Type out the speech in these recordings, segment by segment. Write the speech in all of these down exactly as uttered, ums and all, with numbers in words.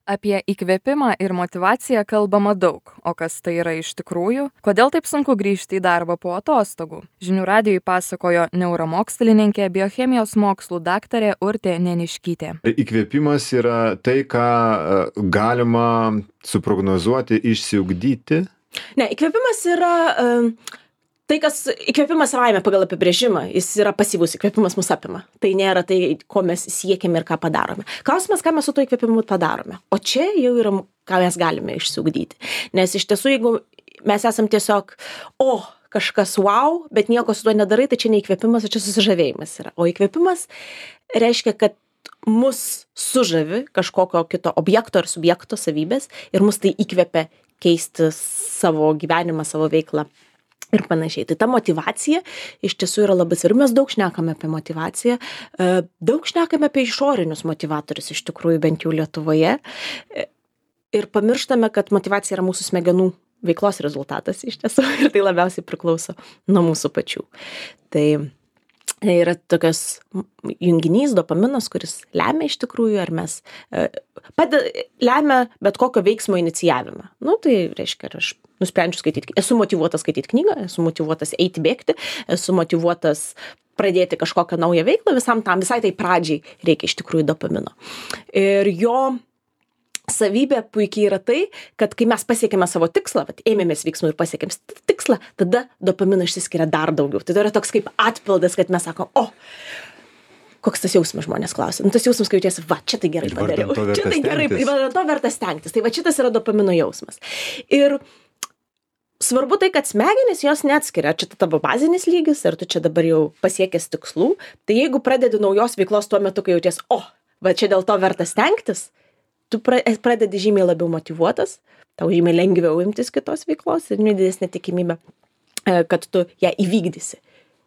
Apie įkvėpimą ir motyvaciją kalbama daug, o kas tai yra iš tikrųjų? Kodėl taip sunku grįžti į darbą po atostogų? Žinių radijui pasakojo neuromokslininkė, biochemijos mokslų daktarė Urtė Neniškytė. Įkvėpimas yra tai, ką galima suprognozuoti, išsiugdyti. Ne, įkvėpimas yra um, tai, kas įkvėpimas savaime pagal apibrėžimą, jis yra pasyvus, įkvėpimas mus apima. Tai nėra tai, ko mes siekiame ir ką padarome. Klausimas, ką mes su to įkvėpimu padarome. O čia jau yra, ką mes galime išsiugdyti. Nes iš tiesų, jeigu mes esam tiesiog, o, kažkas wow, bet nieko su tuo nedarai, tai čia ne įkvėpimas, o čia susižavėjimas yra. O įkvėpimas reiškia, kad mus sužavi kažkokio kito objekto ar subjekto savybės ir mus tai įkvėpia keisti savo gyvenimą, savo veiklą ir panašiai. Tai ta motyvacija iš tiesų yra labai svarbi. Mes daug šnekame apie motyvaciją, daug šnekame apie išorinius motyvatorius iš tikrųjų, bent jau Lietuvoje. Ir pamirštame, kad motyvacija yra mūsų smegenų veiklos rezultatas iš tiesų ir tai labiausiai priklauso nuo mūsų pačių. Tai yra tokios junginys, dopaminas, kuris lemia iš tikrųjų, ar mes padeda, lemia bet kokio veiksmo inicijavimą. Nu, tai reiškia, ar aš nusprendžiu skaityti, esu motyvuotas skaityti knygą, esu motyvuotas eiti bėgti, esu motyvuotas pradėti kažkokią naują veiklą, visam tam, visai tai pradžiai reikia iš tikrųjų dopamino. Ir jo savybė puikiai yra tai, kad kai mes pasiekėme savo tikslą, vat, ėmėmės veiksmų ir pasiekėm tikslą, tada dopamino išsiskiria dar daugiau. Tai yra toks kaip atpildas, kad mes sakom, o, koks tas jausmas, žmonės klausia. Nu, tas jausmas, kai jautiesi, va, čia tai gerai padariau. Čia tai gerai, vardan to verta stengtis. Tai va, šitas yra dopamino jausmas. Ir svarbu tai, kad smegenys jos neatskiria, ar čia tavo bazinis lygis, ar tu čia dabar jau pasiekęs tikslų. Tai jeigu pradedi naujos veiklos tuo metu, kai jauties, o, va, čia dėl to verta stengtis, tu pradedi žymiai labiau motyvuotas, tau žymiai lengviau imtis kitos veiklos ir didesnė tikimybė, kad tu ją įvykdysi.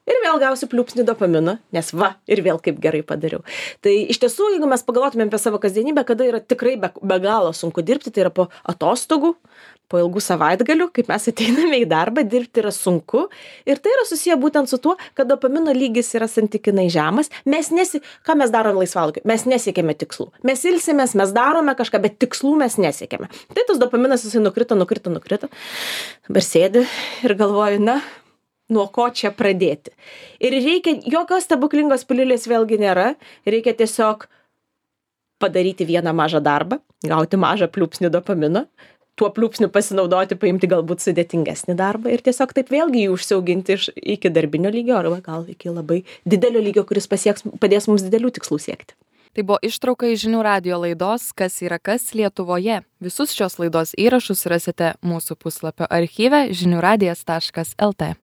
Ir vėl gausi pliūpsnį dopamino, nes va, ir vėl kaip gerai padariau. Tai iš tiesų, jeigu mes pagalvotumėm apie savo kasdienybę, kada yra tikrai be, be galo sunku dirbti, tai yra po atostogų, po ilgų savaitgalių, kaip mes ateiname į darbą, dirbti yra sunku. Ir tai yra susiję būtent su tuo, kad dopamino lygis yra santykinai žemas. Mes nesi, ką mes darome laisvalaikiu? Mes nesiekėme tikslų. Mes ilsimės, mes darome kažką, bet tikslų mes nesiekėme. Tai tas dopaminas jisai nukrito, nukrito, nukrito. Dabar sėdi ir galvoju, na, nuo ko čia pradėti. Ir reikia, jokios stebuklingos pilulės vėlgi nėra. Reikia tiesiog padaryti vieną mažą darbą, gauti mažą pliūpsnį dopamino, tuo pliūpsniu pasinaudoti, paimti galbūt sudėtingesnį darbą ir tiesiog taip vėlgi jį užsiauginti iš, iki darbinio lygio, arba gal iki labai didelio lygio, kuris pasieks, padės mums didelių tikslų siekti. Tai buvo ištrauka iš Žinių radijo laidos Kas yra kas Lietuvoje. Visus šios laidos įrašus rasite mūsų puslapio archyve žinių radijas taškas lt.